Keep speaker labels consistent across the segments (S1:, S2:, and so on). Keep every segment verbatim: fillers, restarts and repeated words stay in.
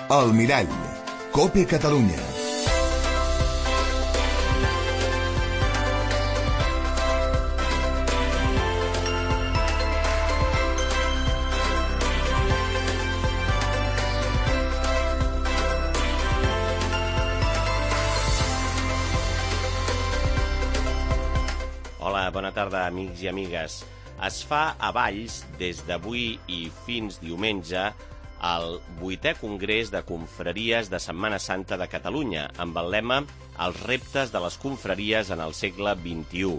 S1: El Mirall, COPE Catalunya.
S2: Hola, bona tarda, amics i amigues. Es fa a Valls, des d'avui i fins diumenge, el vuitè Congrés de Confraries de Setmana Santa de Catalunya, amb el lema Els reptes de les confraries en el segle vint-i-u.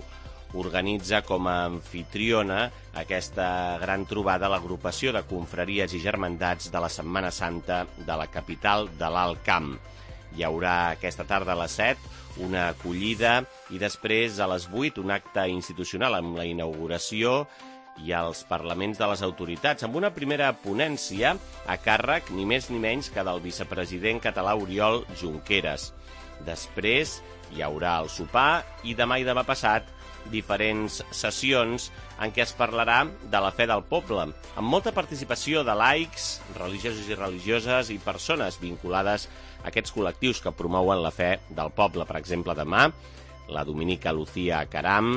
S2: Organitza com a anfitriona aquesta gran trobada l'agrupació de confraries i germandats de la Setmana Santa de la capital de l'Alt Camp. Hi haurà aquesta tarda a les set una acollida i després a les vuit un acte institucional amb la inauguració i els parlaments de les autoritats, amb una primera ponència a càrrec ni més ni menys que del vicepresident català Oriol Junqueras. Després hi haurà el sopar i demà i demà passat diferents sessions en què es parlarà de la fe del poble, amb molta participació de laics, religiosos i religioses i persones vinculades a aquests col·lectius que promouen la fe del poble. Per exemple, demà, la dominica Lucía Caram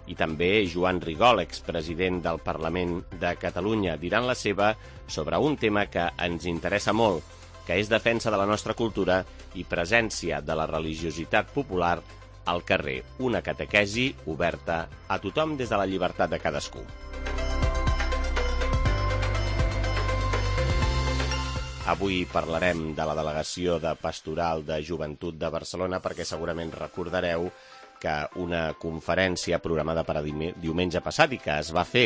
S2: i també Joan Rigol, expresident del Parlament de Catalunya, diran la seva sobre un tema que ens interessa molt, que és defensa de la nostra cultura i presència de la religiositat popular al carrer. Una catequesi oberta a tothom des de la llibertat de cadascú. Avui parlarem de la Delegació de Pastoral de Joventut de Barcelona perquè segurament recordareu que una conferència programada per a diumenge passat i que es va fer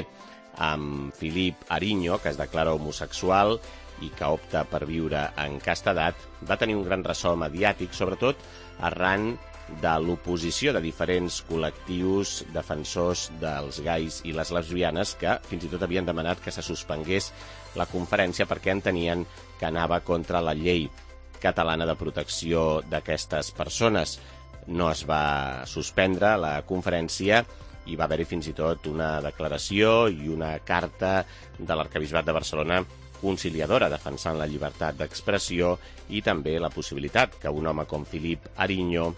S2: amb Filip Ariño, que es declara homosexual i que opta per viure en castedat, va tenir un gran ressò mediàtic, sobretot arran de l'oposició de diferents col·lectius defensors dels gais i les lesbianes que fins i tot havien demanat que se suspengués la conferència perquè entenien que anava contra la llei catalana de protecció d'aquestes persones. No es va suspendre la conferència i va haver-hi fins i tot una declaració i una carta de l'Arquebisbat de Barcelona conciliadora defensant la llibertat d'expressió i també la possibilitat que un home com Filip Ariño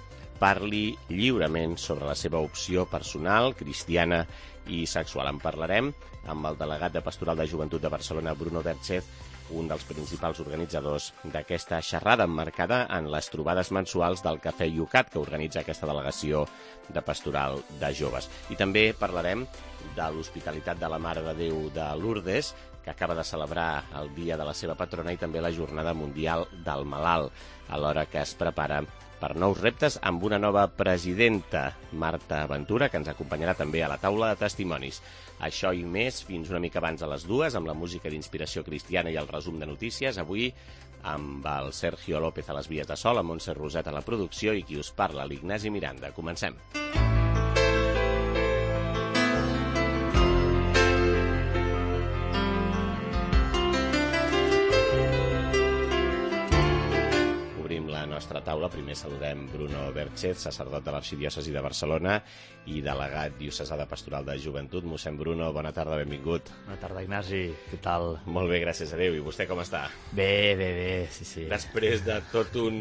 S2: parli lliurement sobre la seva opció personal, cristiana i sexual. En parlarem amb el delegat de Pastoral de Joventut de Barcelona, Bruno Verchez, un dels principals organitzadors d'aquesta xerrada emmarcada en les trobades mensuals del Cafè Yucat que organitza aquesta delegació de Pastoral de Joves. I també parlarem de l'Hospitalitat de la Mare de Déu de Lourdes, que acaba de celebrar el dia de la seva patrona i també la Jornada Mundial del Malalt, alhora que es prepara per nous reptes amb una nova presidenta, Marta Ventura, que ens acompanyarà també a la taula de testimonis. Això i més fins una mica abans a les dues, amb la música d'inspiració cristiana i el resum de notícies. Avui amb el Sergio López a les vies de sol, amb Montse Roset a la producció i qui us parla, l'Ignasi Miranda. Comencem. Nostra taula. Primer saludem Bruno Verchez, sacerdot de l'Arxidiòcesi de Barcelona i delegat diocesà de Pastoral de Joventut. Mossèn Bruno, bona tarda, benvingut.
S3: Bona tarda, Ignasi, què tal?
S2: Molt bé, gràcies a Déu. I vostè com està?
S3: Bé, bé, bé, sí, sí.
S2: Després de tot un...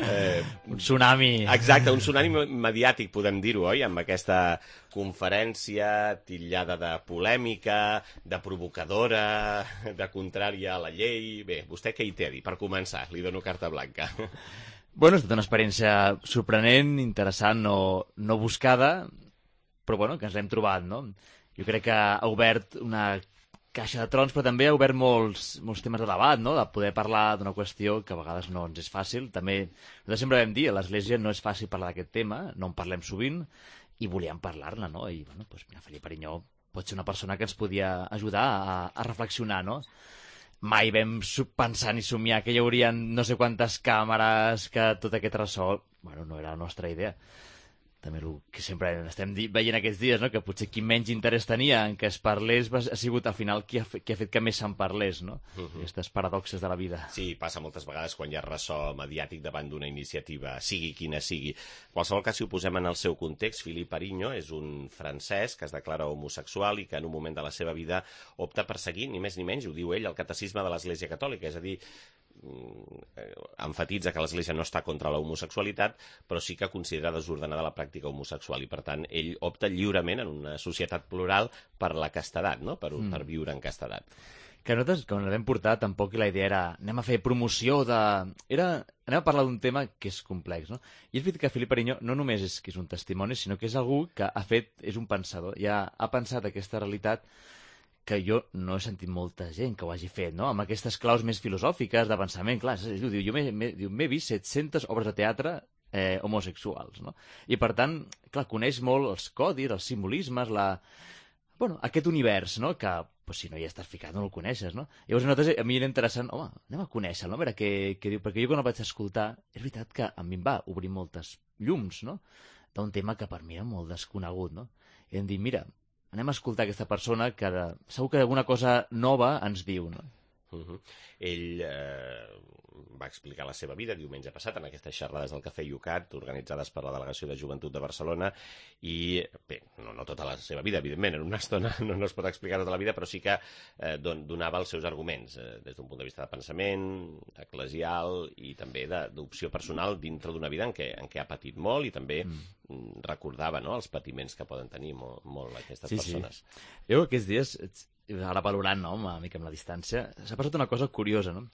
S3: Eh... un tsunami.
S2: Exacte, un tsunami mediàtic, podem dir-ho, oi? Amb aquesta conferència titllada de polèmica, de provocadora, de contrària a la llei... Bé, vostè què hi té a dir? Per començar, li dono carta blanca.
S3: Bueno, ha estat una experiència sorprenent, interessant, no, no buscada, però bueno, que ens l'hem trobat, no? Jo crec que ha obert una caixa de trons, però també ha obert molts, molts temes de debat, no? De poder parlar d'una qüestió que a vegades no ens és fàcil. També, nosaltres sempre vam dir, a l'Església no és fàcil parlar d'aquest tema, no en parlem sovint, i volíem parlar-ne, no? I, bueno, doncs, mira, Felip Ariño pot ser una persona que ens podia ajudar a, a reflexionar, no? Mai vam pensar ni somiar que hi haurien no sé quantes càmeres, que tot aquest ressò... Bueno, no era la nostra idea. També el que sempre estem veient aquests dies, no? Que potser qui menys interès tenia en què es parlés ha sigut al final qui ha fet, qui ha, fet que més se'n parlés, no? Uh -huh. Aquestes paradoxes de la vida.
S2: Sí, passa moltes vegades quan hi ha ressò mediàtic davant d'una iniciativa, sigui quina sigui. En qualsevol cas, si ho posem en el seu context, Filip Ariño és un francès que es declara homosexual i que en un moment de la seva vida opta per seguir, ni més ni menys, ho diu ell, el catecisme de l'Església Catòlica, és a dir, enfatitza que l'Església no està contra l'homosexualitat, però sí que considera desordenada la pràctica homosexual i, per tant, ell opta lliurement en una societat plural per la castedat, no? per, mm. per viure en castedat.
S3: Que nosaltres, quan la vam portar, tampoc la idea era anem a fer promoció de... Era, anem a parlar d'un tema que és complex, no? I és veritat que Felip Perinyó no només és que és un testimoni, sinó que és algú que ha fet, és un pensador, ja ha pensat aquesta realitat que jo no he sentit molta gent que ho hagi fet, no? Amb aquestes claus més filosòfiques de pensament. Clar, diu, jo m'he vist set-centes obres de teatre eh, homosexuals, no? I, per tant, clar, coneix molt els codis, els simbolismes, la... bueno, aquest univers, no?, que pues, si no hi estàs ficat no el coneixes, no? Llavors, a nosaltres, a mi era interessant, home, anem a conèixer-lo, no? A veure què, què diu, perquè jo quan el vaig escoltar, és veritat que a mi em va obrir moltes llums, no?, d'un tema que per mi era molt desconegut, no? I em dit, mira, anem a escoltar aquesta persona que de... segur que alguna cosa nova ens diu, no?
S2: Uh -huh. Ell eh, va explicar la seva vida diumenge passat en aquestes xerrades del Cafè Yucat organitzades per la Delegació de Joventut de Barcelona i, bé, no, no tota la seva vida, evidentment, en una estona no, no es pot explicar tota la vida, però sí que eh, don, donava els seus arguments eh, des d'un punt de vista de pensament, eclesial i també d'opció personal dintre d'una vida en què, en què ha patit molt i també mm. recordava, no?, els patiments que poden tenir molt, molt aquestes
S3: sí,
S2: persones.
S3: Sí. Jo aquests dies, ara valorant, no?, una mica amb la distància, s'ha passat una cosa curiosa, no?,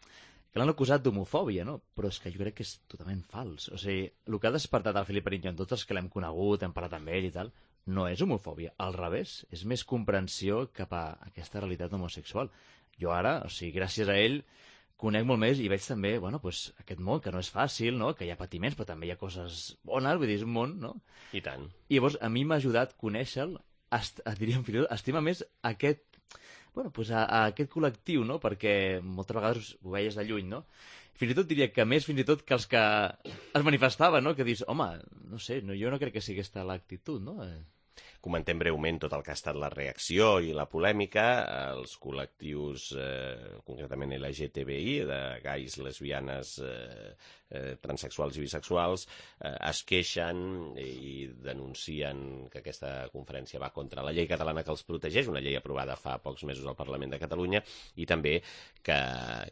S3: que l'han acusat d'homofòbia, no? Però és que jo crec que és totalment fals. O sigui, el que ha despertat el Felip Perinyó en tots els que l'hem conegut, hem parlat amb ell i tal, no és homofòbia. Al revés, és més comprensió cap a aquesta realitat homosexual. Jo ara, o sigui, gràcies a ell, conec molt més i veig també, bueno, pues, aquest món, que no és fàcil, no?, que hi ha patiments, però també hi ha coses bones, vull dir, és un món, no?
S2: I tant.
S3: I llavors, a mi m'ha ajudat a conèixer-lo, diríem, fins i tot, estima més aquest bueno, pues a, a aquest col·lectiu, no?, perquè moltes vegades ho veies de lluny, no? Fins i tot diria que més fins i tot que els que es manifestaven, no?, que dius, home, no sé, no, jo no crec que sigui aquesta l'actitud, no?
S2: Comentem breument tot el que ha estat la reacció i la polèmica. Els col·lectius, eh, concretament L G T B I, de gais, lesbianes, eh, eh, transexuals i bisexuals, eh, es queixen i denuncien que aquesta conferència va contra la llei catalana que els protegeix, una llei aprovada fa pocs mesos al Parlament de Catalunya, i també que,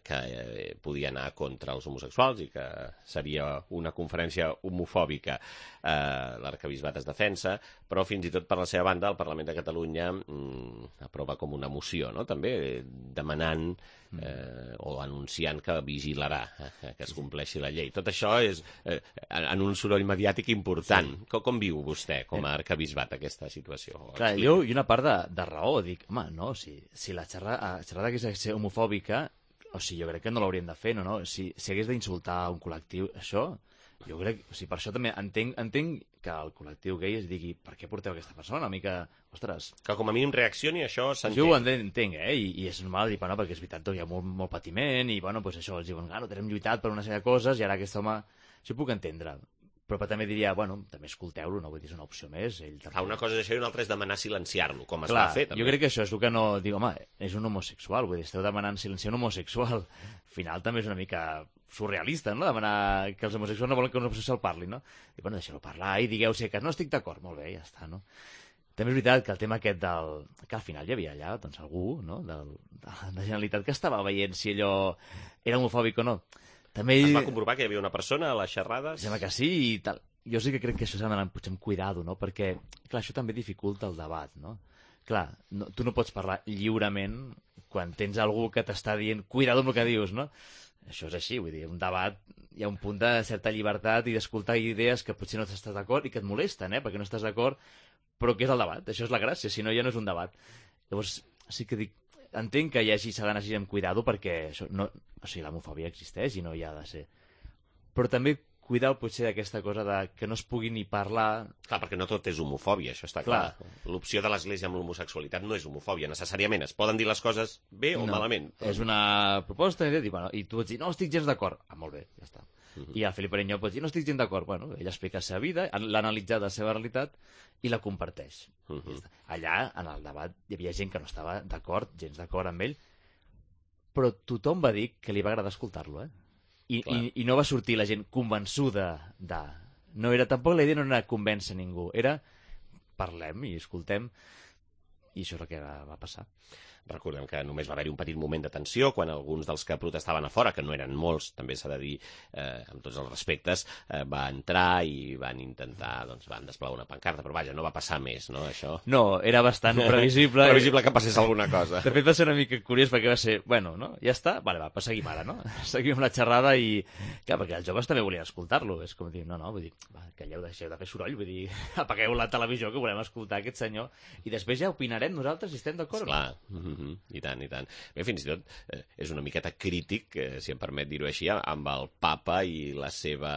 S2: que eh, podia anar contra els homosexuals i que seria una conferència homofòbica. Eh, L'arquebisbat es defensa, però fins i tot per la seva banda el Parlament de Catalunya mm, aprova com una moció, no?, també demanant eh, o anunciant que vigilarà eh, que es compleixi la llei. Tot això és eh, en un soroll mediàtic important. Sí. Com, com viu vostè com a arquebisbat aquesta situació?
S3: Clar, jo i una part de, de raó, dic, home, no, si, si la xerrada, xerrada hagués de ser homofòbica, o sigui, jo crec que no l'haurien de fer, no, no? Si, si hagués d'insultar un col·lectiu, això... Jo crec, o sigui, per això també entenc, entenc que el col·lectiu gai es digui per què porteu aquesta persona, una mica, ostres...
S2: Que com a mínim reaccioni, això s'entén.
S3: Jo ho entenc, eh, I, i és normal dir, bueno, perquè és veritat, hi ha molt, molt patiment, i, bueno, pues això, els diuen, ah, no, hem lluitat per una sèrie de coses, i ara aquest home... Això ho puc entendre, però també diria, bueno, també escolteu-lo, no? Vull dir, és una opció més. Ell també...
S2: Ah, una cosa és això i una altra és demanar silenciar-lo, com es
S3: Clar,
S2: va fer, també.
S3: Jo crec que això és el que no... Dic, home, és un homosexual, vull dir, esteu demanant silenciar un homosexual. Al final també és una mica surrealista, no?, demanar que els homosexuals no volen que un homosexual parli, no? I, bueno, deixeu-lo parlar i digueu si que no estic d'acord, molt bé, ja està, no? També és veritat que el tema aquest del... que al final hi havia allà, doncs, algú, no?, del... de la Generalitat que estava veient si allò era homofòbic o no. També...
S2: Es va comprovar que hi havia una persona a les xerrades?
S3: Sembla que sí i tal. Jo sí que crec que això s'ha d'anar potser amb cuidado, no?, perquè, clar, això també dificulta el debat, no? Clar, no, tu no pots parlar lliurement quan tens algú que t'està dient cuidado amb el que dius, no? Això és així, vull dir, un debat, hi ha un punt de certa llibertat i d'escoltar idees que potser no estàs d'acord i que et molesten, eh?, perquè no estàs d'acord, però què és el debat? Això és la gràcia, si no ja no és un debat. Llavors, sí que dic, entenc que hi hagi, s'ha d'anar així amb cuidado perquè això no, o sigui, l'homofòbia existeix i no hi ha de ser. Però també cuidar potser d'aquesta cosa de que no es pugui ni parlar...
S2: Clar, perquè no tot és homofòbia, això està clar. clar. L'opció de l'Església amb l'homosexualitat no és homofòbia, necessàriament. Es poden dir les coses bé o
S3: no,
S2: malament. Però...
S3: És una proposta i, bueno, i tu ets dir, no estic gens d'acord. Ah, molt bé, ja està. Uh -huh. I el Felip Perinyó pot dir, no estic gens d'acord. Bueno, ell explica la seva vida, l'ha analitzat la seva realitat i la comparteix. Uh -huh. Ja allà, en el debat, hi havia gent que no estava d'acord, gens d'acord amb ell, però tothom va dir que li va agradar escoltar-lo, eh? I, i, i no va sortir la gent convençuda de... No era, tampoc la idea no era convèncer ningú, era parlem i escoltem. I això és el que va, va passar.
S2: Recordem que només va haver-hi un petit moment de tensió quan alguns dels que protestaven a fora, que no eren molts, també s'ha de dir, eh, amb tots els respectes, eh, va entrar i van intentar, doncs van desplegar una pancarta, però vaja, no va passar més, no, això?
S3: No, era bastant previsible.
S2: Previsible que passés alguna cosa.
S3: De fet va ser una mica curiós perquè va ser, bueno, no? Ja està? Vale, va, pues seguim ara, no? Seguim amb la xerrada i... Clar, perquè els joves també volien escoltar-lo. És com dir, no, no, vull dir, va, calleu, deixeu de fer soroll, vull dir, apagueu la televisió que volem escoltar aquest senyor i després ja opinarem nosaltres si estem d'acord.
S2: Clar, mm -hmm. i tant, i tant. Bé, fins i tot eh, és una miqueta crític, eh, si em permet dir-ho així, amb el papa i la seva...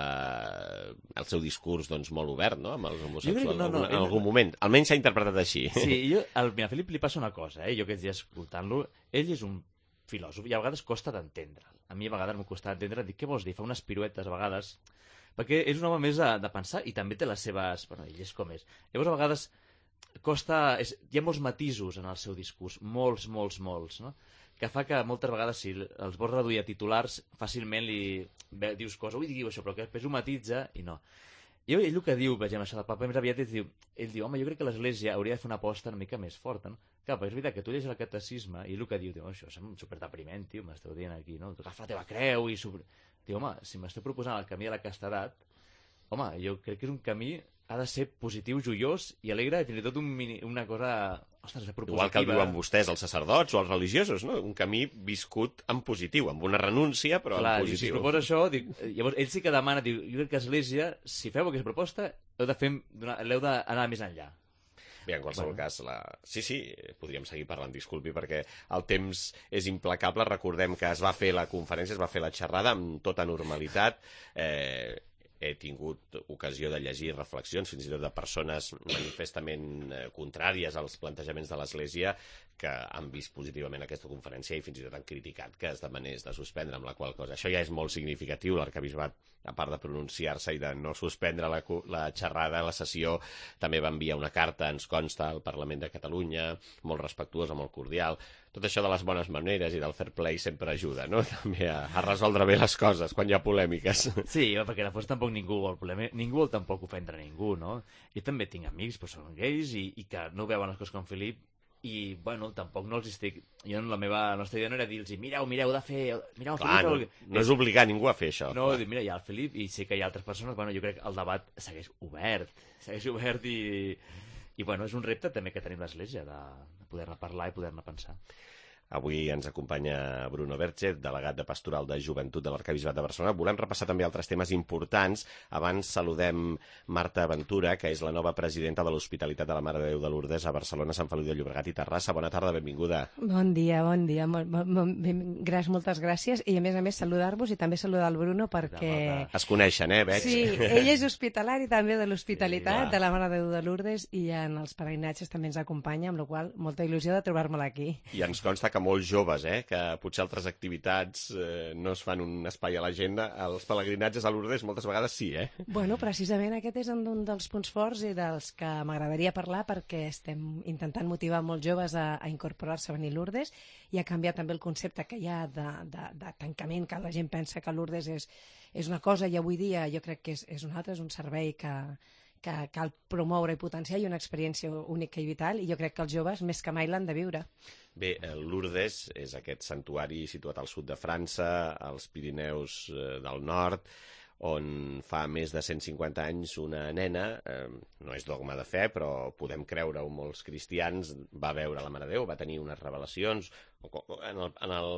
S2: el seu discurs, doncs, molt obert, no?, amb els homosexuals
S3: no, no,
S2: en algun ell... moment. Almenys s'ha interpretat així.
S3: Sí, jo, al a Felip li passa una cosa, eh? Jo aquests dies escoltant-lo, ell és un filòsof i a vegades costa d'entendre'l. A mi a vegades m'ho costa d'entendre, dic, què vols dir? Fa unes piruetes a vegades, perquè és un home més de, de pensar i també té les seves... Bueno, ell és com és. Llavors, a vegades costa... És... Hi ha molts matisos en el seu discurs, molts, molts, molts, no?, que fa que moltes vegades, si els vols reduir a titulars, fàcilment li dius coses, ui, diu això, però que després ho matitza i no. I ell el que diu, vegem això del papa, més aviat ell diu, ell diu, home, jo crec que l'Església hauria de fer una aposta una mica més forta, no? Clar, perquè és veritat que tu llegis el catecisme i el que diu, diu, això és superdepriment, tio, m'esteu dient aquí, no? Tu agafa la teva creu i... Sobre... Diu, home, si m'esteu proposant el camí de la castedat, home, jo crec que és un camí ha de ser positiu, joiós i alegre, i fins i tot un mini, una cosa, ostres, propositiva.
S2: Igual que el diuen vostès, els sacerdots o els religiosos, no? Un camí viscut en positiu, amb una renúncia, però
S3: Clar,
S2: en positiu.
S3: Si es proposa això, dic, llavors ell sí que demana, diu, jo crec que l'Església, si feu aquesta proposta, heu de fer, l'heu d'anar més enllà.
S2: Bé, en qualsevol bueno. cas, la... sí, sí, podríem seguir parlant, disculpi, perquè el temps és implacable. Recordem que es va fer la conferència, es va fer la xerrada amb tota normalitat, eh... he tingut ocasió de llegir reflexions, fins i tot de persones manifestament contràries als plantejaments de l'Església que han vist positivament aquesta conferència i fins i tot han criticat que es demanés de suspendre, amb la qual cosa. Això ja és molt significatiu, l'arquebisbat, a part de pronunciar-se i de no suspendre la, la xerrada, la sessió, també va enviar una carta, ens consta, al Parlament de Catalunya, molt respectuosa, molt cordial. Tot això de les bones maneres i del fair play sempre ajuda, no?, també a, a resoldre bé les coses quan hi ha polèmiques.
S3: Sí, perquè després tampoc ningú vol polèmica, ningú vol tampoc ofendre ningú, no? Jo també tinc amics que són gais i, i que no veuen les coses com Felip i, bueno, tampoc no els estic... Jo, la meva nostra idea no era dir-los, mireu, mireu, heu de fer... Mireu, el
S2: Clar,
S3: Felip...
S2: no, no és obligar ningú a fer això.
S3: No, dic, mira, hi ha el Felip i sé que hi ha altres persones, bueno, jo crec que el debat segueix obert, segueix obert i... I, bueno, és un repte també que tenim l'Església, de, de poder-ne parlar i poder-ne pensar.
S2: Avui ens acompanya Bruno Verge, delegat de Pastoral de Joventut de l'Arquebisbat de Barcelona. Volem repassar també altres temes importants. Abans saludem Marta Ventura, que és la nova presidenta de l'Hospitalitat de la Mare de Déu de Lourdes a Barcelona, Sant Feliu de Llobregat i Terrassa. Bona tarda, benvinguda.
S4: Bon dia, bon dia. Molt, molt, ben, gràcies, moltes gràcies. I a més a més saludar-vos i també saludar el Bruno perquè...
S2: Es coneixen, eh, veig?
S4: Sí, ell és hospitalari també de l'Hospitalitat sí, de la Mare de Déu de Lourdes i en els peregrinatges també ens acompanya, amb la qual cosa molta il·lusió de trobar-me-la aquí.
S2: I ens consta que molts joves, eh, que potser altres activitats eh, no es fan un espai a l'agenda, els pelegrinatges a Lourdes moltes vegades sí, eh?
S4: Bueno, precisament aquest és un dels punts forts i dels que m'agradaria parlar perquè estem intentant motivar molts joves a, a incorporar-se a venir a Lourdes i a canviar també el concepte que hi ha de, de, de tancament, que la gent pensa que Lourdes és, és una cosa i avui dia jo crec que és, és un altre, és un servei que que cal promoure i potenciar i una experiència única i vital i jo crec que els joves més que mai l'han de viure.
S2: Bé, Lourdes és aquest santuari situat al sud de França, als Pirineus eh, del nord, on fa més de cent cinquanta anys una nena, eh, no és dogma de fe, però podem creure-ho molts cristians, va veure la Mare de Déu, va tenir unes revelacions, en el, en el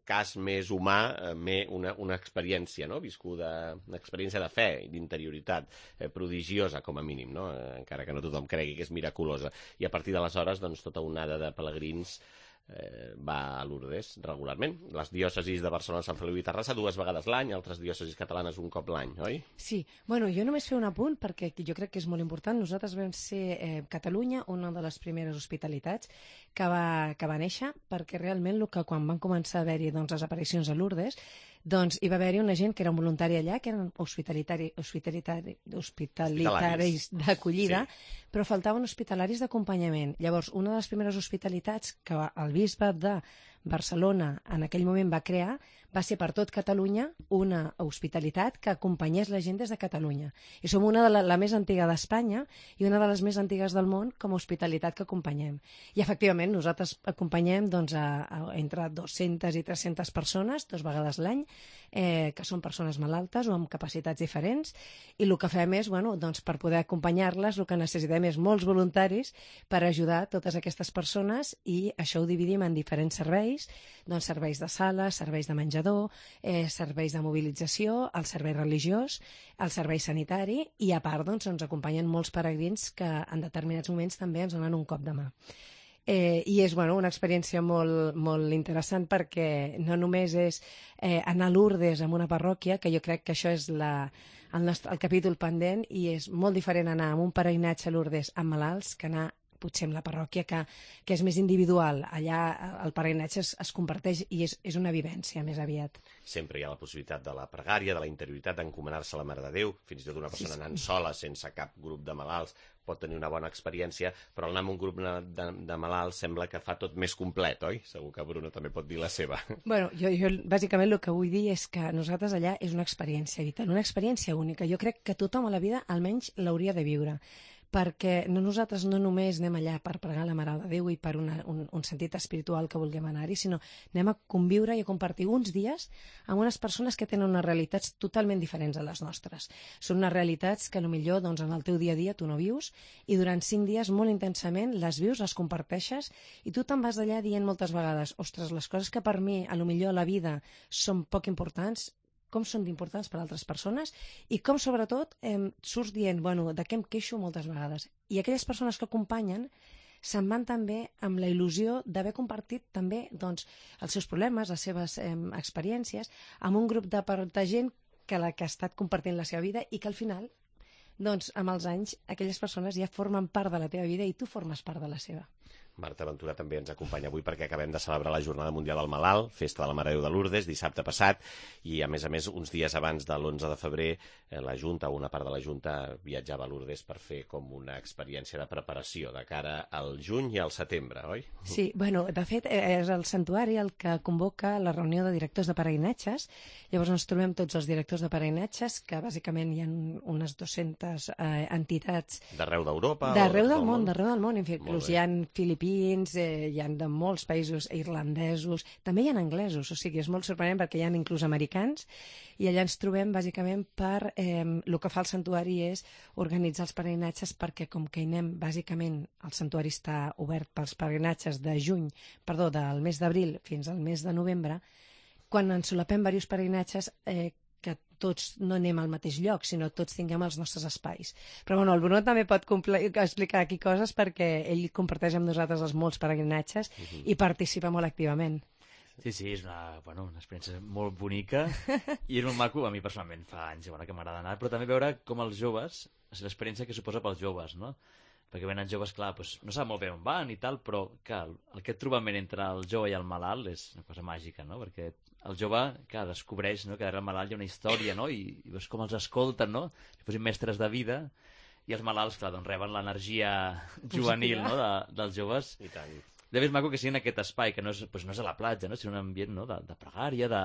S2: cas més humà, eh, una, una experiència, no?, viscuda, una experiència de fe i d'interioritat, eh, prodigiosa com a mínim, no?, eh, encara que no tothom cregui que és miraculosa. I a partir d'aleshores, doncs, tota una onada de pelegrins Eh, va a Lourdes regularment. Les diòcesis de Barcelona, Sant Feliu i Terrassa dues vegades l'any, altres diòcesis catalanes un cop l'any, oi?
S4: Sí, bueno, jo només fer un apunt perquè jo crec que és molt important. Nosaltres vam ser eh, Catalunya una de les primeres hospitalitats que va, que va néixer perquè realment el que quan van començar a haver-hi doncs, les aparicions a Lourdes doncs hi va haver-hi una gent que era un voluntari allà, que eren hospitalitari, hospitalitari, hospitalitaris d'acollida, sí, però faltaven hospitalaris d'acompanyament. Llavors, una de les primeres hospitalitats que el bisbe de Barcelona en aquell moment va crear va ser per tot Catalunya una hospitalitat que acompanyés la gent des de Catalunya. I som una de la, la més antiga d'Espanya i una de les més antigues del món com a hospitalitat que acompanyem. I efectivament nosaltres acompanyem doncs, a, a, entre dues-centes i tres-centes persones, dues vegades l'any, eh, que són persones malaltes o amb capacitats diferents, i el que fem és, bueno, doncs, per poder acompanyar-les, el que necessitem és molts voluntaris per ajudar totes aquestes persones, i això ho dividim en diferents serveis, doncs serveis de sala, serveis de menjador, eh, serveis de mobilització, el servei religiós, el servei sanitari, i a part doncs, ens acompanyen molts peregrins que en determinats moments també ens donen un cop de mà. Eh, I és bueno, una experiència molt, molt interessant perquè no només és eh, anar a Lourdes en una parròquia, que jo crec que això és la, el, nostre, el capítol pendent, i és molt diferent anar amb un peregrinatge a Lourdes amb malalts que anar potser amb la parròquia, que, que és més individual. Allà el peregrinatge es, es comparteix i és, és una vivència més aviat.
S2: Sempre hi ha la possibilitat de la pregària, de la interioritat, d'encomanar-se a la Mare de Déu, fins i tot una persona sí, sí. anant sola, sense cap grup de malalts, pot tenir una bona experiència, però anar amb un grup de, de, de malalts sembla que fa tot més complet, oi? Segur que Bruno també pot dir la seva.
S4: Bueno, jo, jo bàsicament el que vull dir és que nosaltres allà és una experiència vital, una experiència única. Jo crec que tothom a la vida almenys l'hauria de viure, perquè no, nosaltres no només anem allà per pregar la Mare de Déu i per una, un, un sentit espiritual que vulguem anar-hi, sinó anem a conviure i a compartir uns dies amb unes persones que tenen unes realitats totalment diferents a les nostres. Són unes realitats que potser doncs, en el teu dia a dia tu no vius, i durant cinc dies molt intensament les vius, les comparteixes, i tu te'n vas d'allà dient moltes vegades, ostres, les coses que per mi a lo millor a la vida són poc importants, com són d'importants per a altres persones, i com, sobretot, eh, surts dient, bueno, de què em queixo moltes vegades. I aquelles persones que acompanyen se'n van també amb la il·lusió d'haver compartit també doncs, els seus problemes, les seves eh, experiències, amb un grup de, de gent que, la, que ha estat compartint la seva vida, i que al final, doncs, amb els anys, aquelles persones ja formen part de la teva vida i tu formes part de la seva.
S2: Marta Ventura també ens acompanya avui perquè acabem de celebrar la Jornada Mundial del Malalt, festa de la Mare de Déu de Lourdes, dissabte passat, i a més a més uns dies abans de l'onze de febrer eh, la Junta, o una part de la Junta, viatjava a Lourdes per fer com una experiència de preparació de cara al juny i al setembre, oi?
S4: Sí, bueno, de fet és el santuari el que convoca la reunió de directors de peregrinatges. Llavors ens trobem tots els directors de peregrinatges, que bàsicament hi ha unes dues-centes eh, entitats
S2: d'arreu d'Europa?
S4: D'arreu del món, d'arreu del món, inclús hi ha filipins, Eh, hi ha de molts països irlandesos, també hi ha anglesos, o sigui, és molt sorprenent perquè hi ha inclús americans, i allà ens trobem bàsicament per, eh, el que fa el santuari és organitzar els peregrinatges, perquè com que hi anem, bàsicament el santuari està obert pels peregrinatges de juny, perdó, del mes d'abril fins al mes de novembre, quan ens solapem diversos peregrinatges, eh, que tots no anem al mateix lloc, sinó tots tinguem els nostres espais. Però bueno, el Bruno també pot explicar aquí coses perquè ell comparteix amb nosaltres els molts peregrinatges uh-huh. i participa molt activament.
S3: Sí, sí, és una, bueno, una experiència molt bonica i és molt maco, a mi personalment fa anys bueno, que m'agrada anar, però també veure com els joves, l'experiència que suposa pels joves, no? Perquè venen joves, clar, doncs, no sap molt bé on van i tal, però clar, aquest trobament entre el jove i el malalt és una cosa màgica, no? Perquè el jove, clar, descobreix no, que darrere el malalt hi ha una història, no? I, i veus com els escolten, no? Si fossin mestres de vida, i els malalts, clar, doncs reben l'energia juvenil no? de, dels joves.
S2: I tant.
S3: De més maco que sigui en aquest espai, que no és, doncs no és a la platja, no? Sinó un ambient no? de, de pregària, de,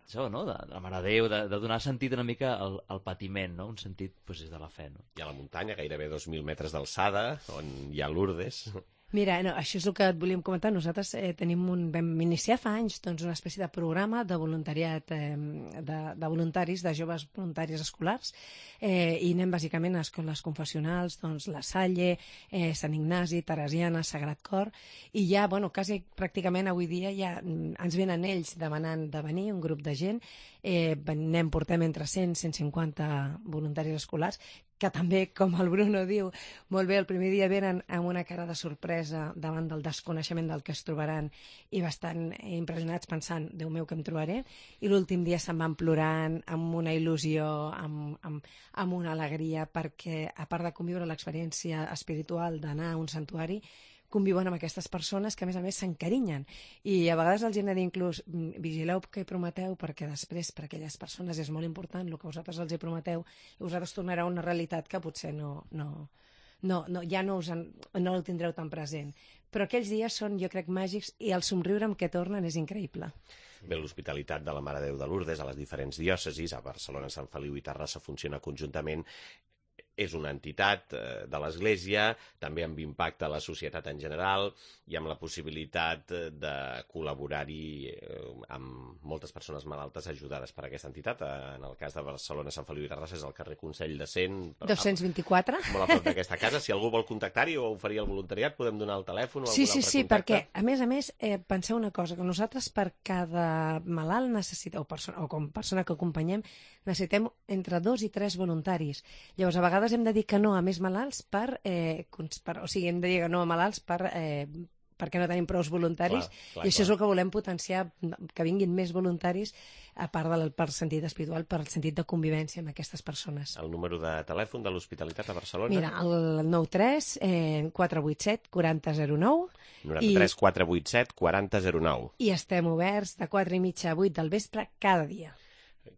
S3: això, no? de, de la Mare de Déu, de, de donar sentit una mica al, al patiment, no? Un sentit doncs, de la fe. No?
S2: I a la muntanya, gairebé dos mil metres d'alçada, on hi ha Lourdes.
S4: Mira, no, això és el que et volíem comentar. Nosaltres eh, tenim un, vam iniciar fa anys doncs, una espècie de programa de voluntariat, eh, de, de voluntaris, de joves voluntaris escolars, eh, i anem bàsicament a escoles confessionals, doncs, La Salle, eh, Sant Ignasi, Teresiana, Sagrat Cor, i ja, bueno, quasi pràcticament avui dia ja ens venen ells demanant de venir, un grup de gent, eh, anem, portem entre cent i cent cinquanta voluntaris escolars, que també, com el Bruno diu, molt bé, el primer dia venen amb una cara de sorpresa davant del desconeixement del que es trobaran i bastant impressionats pensant, Déu meu, què em trobaré? I l'últim dia se'n van plorant amb una il·lusió, amb, amb, amb una alegria, perquè a part de conviure l'experiència espiritual d'anar a un santuari, conviuen amb aquestes persones que a més a més s'encarinyen, i a vegades els hem de dir inclús vigileu què prometeu, perquè després per a aquelles persones és molt important el que vosaltres els hi prometeu i vosaltres tornareu a una realitat que potser no, no, no, no, ja no, us en, no el tindreu tan present. Però aquells dies són, jo crec, màgics i el somriure amb què tornen és increïble.
S2: Bé, l'Hospitalitat de la Mare de Déu de Lourdes a les diferents diòcesis, a Barcelona, Sant Feliu i Terrassa, funciona conjuntament. És una entitat eh, de l'Església, també amb impacte a la societat en general i amb la possibilitat de col·laborar-hi eh, amb moltes persones malaltes ajudades per aquesta entitat. En el cas de Barcelona, Sant Feliu i Terrassa és el carrer Consell de Cent.
S4: dos-cents vint-i-quatre.
S2: Molt a prop d'aquesta casa. Si algú vol contactar-hi o oferir el voluntariat, podem donar el telèfon o
S4: Sí,
S2: algun
S4: sí,
S2: altre
S4: sí,
S2: contacte.
S4: perquè, a més a més, eh, penseu una cosa, que nosaltres per cada malalt necessita, o, persona, o com persona que acompanyem, necessitem entre dos i tres voluntaris. Llavors, a vegades hem de dir que no a més malalts per, eh, per o sigui, hem de dir que no a malalts per, eh, perquè no tenim prous voluntaris,
S2: Clar, clar,
S4: i això
S2: clar.
S4: és el que volem potenciar, que vinguin més voluntaris, a part del per sentit espiritual, per sentit de convivència amb aquestes persones.
S2: El número de telèfon de l'Hospitalitat a Barcelona?
S4: Mira, el nou tres eh, quatre vuit set quaranta zero nou
S2: noranta-tres quatre vuit set quaranta zero nou.
S4: i estem oberts de quatre i mitja a vuit del vespre cada dia.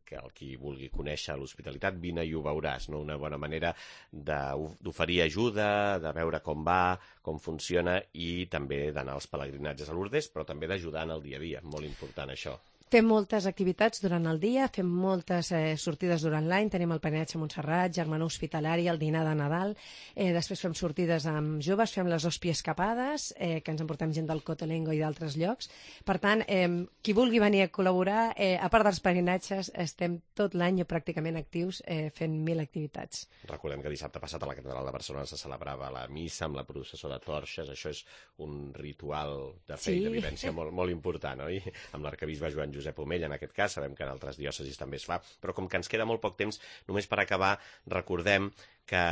S2: Que el qui vulgui conèixer l'hospitalitat, vine i ho veuràs, no? Una bona manera de- d'oferir ajuda, de veure com va, com funciona i també d'anar als pelegrinatges a Lourdes, però també d'ajudar en el dia a dia, molt important això.
S4: Fem moltes activitats durant el dia, fem moltes eh, sortides durant l'any, tenim el peregrinatge a Montserrat, germanor hospitalari, el dinar de Nadal, eh, després fem sortides amb joves, fem les hòspies escapades, eh, que ens emportem gent del Cotolengo i d'altres llocs. Per tant, eh, qui vulgui venir a col·laborar, eh, a part dels peregrinatges, estem tot l'any pràcticament actius eh, fent mil activitats.
S2: Recordem que dissabte passat a la Catedral de Barcelona se celebrava la missa amb la processó de torxes, això és un ritual de fe
S4: Sí.
S2: i de vivència molt, molt important, oi? Amb l'arquebisbe Joan Josep Omella, en aquest cas, sabem que en altres diòcesis també es fa, però com que ens queda molt poc temps, només per acabar, recordem que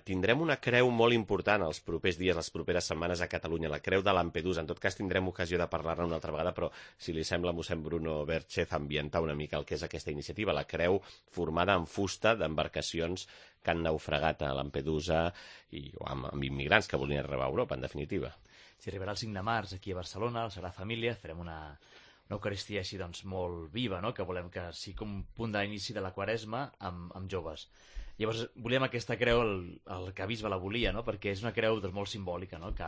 S2: tindrem una creu molt important els propers dies, les properes setmanes a Catalunya, la creu de Lampedusa. En tot cas, tindrem ocasió de parlar-ne una altra vegada, però si li sembla a mossèn Bruno Berchez ambientar una mica el que és aquesta iniciativa, la creu formada en fusta d'embarcacions que han naufragat a Lampedusa i o amb, amb immigrants que volien arribar a Europa, en definitiva.
S3: Si arribarà el cinc de març aquí a Barcelona, a la Sagrada Família, farem una, una Eucaristia així doncs molt viva, no? Que volem que sigui com un punt d'inici de la Quaresma amb, amb joves. Llavors volíem aquesta creu, el, el que bisbe la volia, no? Perquè és una creu doncs, molt simbòlica, no? Que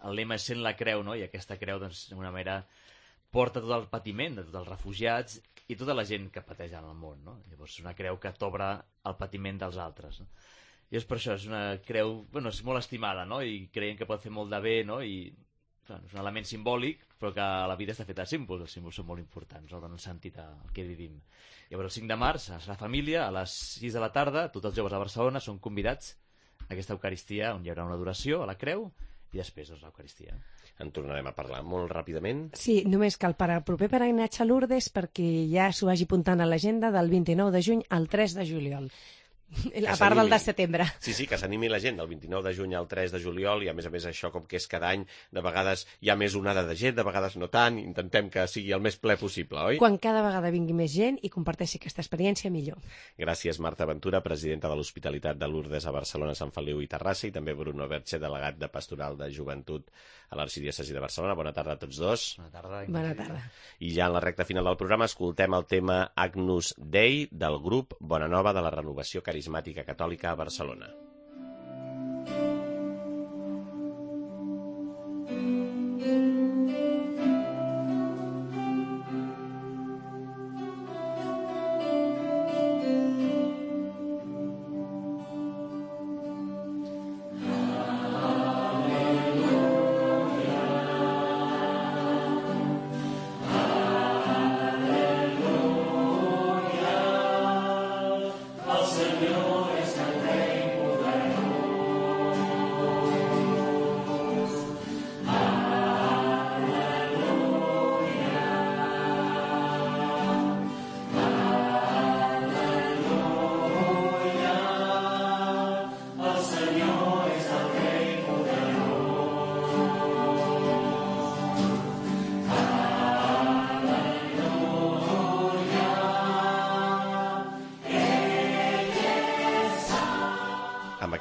S3: el lema és sent la creu, no? I aquesta creu doncs, d'alguna manera porta tot el patiment de tots els refugiats i tota la gent que pateix en el món, no? Llavors és una creu que t'obre el patiment dels altres, no? I és per això, és una creu, bueno, és molt estimada, no? I creiem que pot fer molt de bé, no? I bueno, és un element simbòlic, però que a la vida està fet de símbols. Els símbols són molt importants, no? Donen sentit al que vivim. Llavors, el cinc de març, a la família, a les sis de la tarda, tots els joves de Barcelona són convidats a aquesta Eucaristia, on hi haurà una adoració a la creu, i després doncs, l'Eucaristia.
S2: En tornarem a parlar molt ràpidament.
S4: Sí, només cal per al proper peregrinatge a Lourdes perquè ja s'ho vagi apuntant a l'agenda del vint-i-nou de juny al tres de juliol. A part del de setembre.
S2: Sí, sí, que s'animi la gent del vint-i-nou de juny al tres de juliol i a més a més això com que és cada any, de vegades hi ha més onada de gent, de vegades no tant, intentem que sigui el més ple possible, oi?
S4: Quan cada vegada vingui més gent i comparteixi aquesta experiència, millor.
S2: Gràcies, Marta Ventura, presidenta de l'Hospitalitat de Lourdes a Barcelona, Sant Feliu i Terrassa, i també Bruno Berchez, delegat de Pastoral de Joventut a l'Arxidiòcesi de Barcelona. Bona tarda a tots dos.
S3: Bona tarda.
S4: Bona tarda.
S2: I ja en la recta final del programa escoltem el tema Agnus Dei del grup Bona Nova de la Renovació Carismàtica Catòlica a Barcelona.
S5: El Senyor és el rei poderós.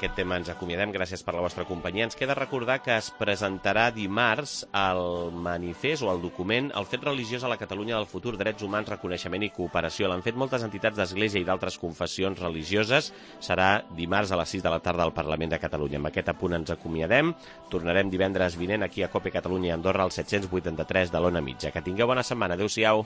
S2: aquest tema ens acomiadem. Gràcies per la vostra companyia. Ens queda recordar que es presentarà dimarts el manifest o el document El fet religiós a la Catalunya del futur, drets humans, reconeixement i cooperació. L'han fet moltes entitats d'església i d'altres confessions religioses. Serà dimarts a les sis de la tarda al Parlament de Catalunya. Amb aquest apunt ens acomiadem. Tornarem divendres vinent aquí a COPE Catalunya i Andorra al set-cents vuitanta-tres de l'Ona Mitja. Que tingueu bona setmana. Adéu-siau.